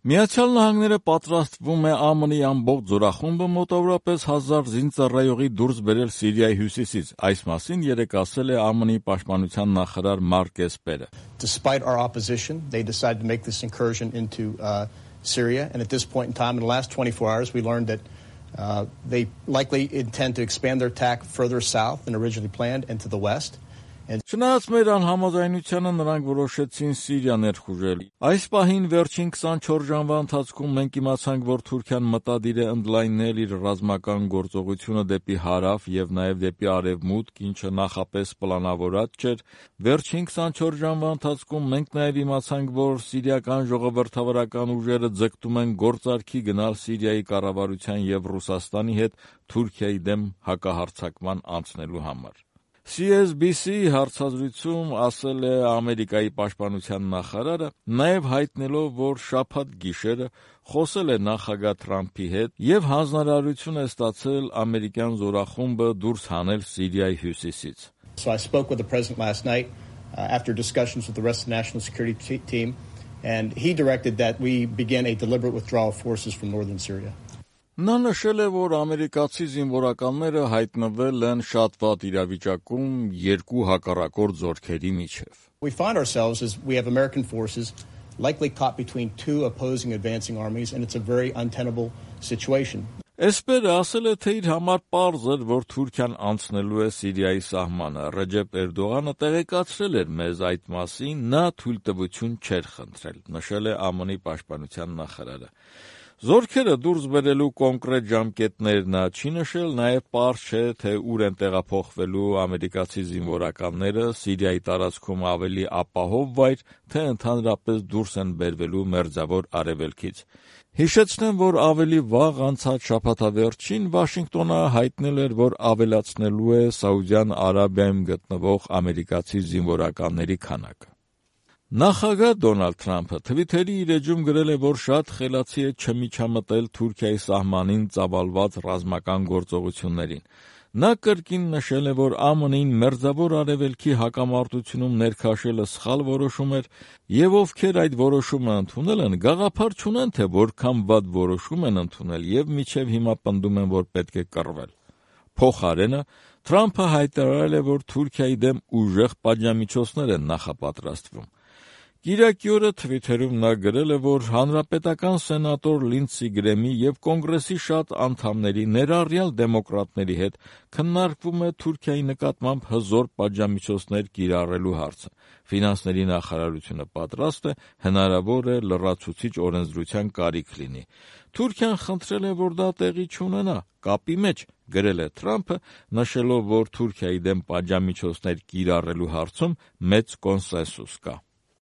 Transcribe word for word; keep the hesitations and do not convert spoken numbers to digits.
Միացյալ Նահանգները պատրաստվում է ԱՄՆ-ի ամբողջ զորախումբը մոտավորապես հազար զինծառայողի դուրս բերել Սիրիայի հյուսիսից։ Այս մասին երեկ ասել է ԱՄՆ-ի պաշտպանության նախարար Մարկ Էսպերը։ Despite our opposition, they decided to make this incursion into uh, Syria, and at this point in time, in the last twenty-four hours, we learned that uh, they likely intend to expand their attack further south than originally planned and to the west. Չնայած մեր անհամաձայնությանը նրանք որոշեցին Սիրիա ներխուժել։ Այս պահին վերջին քսանչորս ժամվա ընթացքում մենք իմացանք, որ Թուրքիան մտադիր է ընդլայնել իր ռազմական գործողությունը դեպի հարավ եւ նաեւ դեպի արևմուտք, ինչը նախապես պլանավորած չէր։ Վերջին քսանչորս ժամվա ընթացքում մենք նաեւ իմացանք, որ սիրիական ժողովրդավարական ուժերը ձգտում են գործարքի գնալ Սիրիայի կառավարության եւ Ռուսաստանի հետ Թուրքիայի դեմ հակահարձակման անցնելու համար։ C S B C-ի հարցազրույցում ասել է Ամերիկայի պաշտպանության նախարարը, նաև հայտնելով, որ շաբաթ գիշերը խոսել է նախագահ Թրամփի հետ եւ հանձնարարություն է ստացել ամերիկյան զորախումբը դուրս հանել Սիրիայի հյուսիսից։ So I spoke with the president last night uh, after discussions with the rest of the national security team, and he directed that we begin a deliberate withdrawal of forces from northern Syria. Նա նշել է, որ ամերիկացի զինվորականները հայտնվել են շատ վատ իրավիճակում երկու հակառակորդ զորքերի միջև։ We find ourselves as we have American forces likely caught between two opposing advancing armies, and it's a very untenable situation. Էսպերը ասել է, թե իր համար պարզ էր, որ Թուրքիան անցնելու է Սիրիայի սահմանը։ Ռեջեփ Էրդողանը տեղեկացրել էր մեզ այդ մասին, նա թույլտվություն չէր խնդրել, նշել է ԱՄՆ-ի պաշտպանության նախարարը։ Զորքերը դուրս բերելու կոնկրետ ժամկետներ նա չի նշել, նաև պարզ չէ, թե ուր են տեղափոխվելու ամերիկացի զինվորականները Սիրիայի տարածքում ավելի ապահով վայր, թե ընդհանրապես դուրս են բերվելու Մերձավոր Արևելքից։ Հիշեցնեմ, որ ավելի վաղ անցած շաբաթավերջին Վաշինգտոնը հայտնել էր, որ ավելացնելու է Սաուդյան Արաբիայում գտնվող ամերիկացի զինվորականների քանակը։ Նախագահ Դոնալդ Թրամփը Թվիթերի իր էջում գրել է, որ շատ խելացի է չմիջամտել Թուրքիայի սահմանին ծավալված ռազմական գործողություններին։ Նա կրկին նշել է, որ ԱՄՆ-ին Մերձավոր Արևելքի հակամարտությունում ներքաշելը սխալ որոշում էր, եւ ովքեր այդ որոշումը ընդունել են, գաղափար չունեն, թե որքան վատ որոշում են ընդունել եւ մինչեւ հիմա պնդում են, որ պետք է կռվել։ Փոխարենը Թրամփը հայտարարել է, որ Թուրքիայի դեմ ուժեղ պատժամիջոցներ են նախապատրաստվում։ Կիրակի օրը Թվիթերում նա գրել է, որ հանրապետական սենատոր Լինդսի Գրեմի եւ կոնգրեսի շատ անդամների, ներառյալ դեմոկրատների հետ քննարկվում է Թուրքիայի նկատմամբ հզոր պատժամիջոցներ կիրառելու հարցը։ Ֆինանսների նախարարությունը պատրաստ է, հնարավոր է լրացուցիչ օրենսդրության կարիք լինի։ Թուրքիան խնդրել է, որ դա տեղի չունենա, կապի մեջ, գրել է Թրամփը, նշելով, որ Թուրքիայի դեմ պատժամիջոցներ կիրառելու հարցում մեծ կոնսենսուս կա։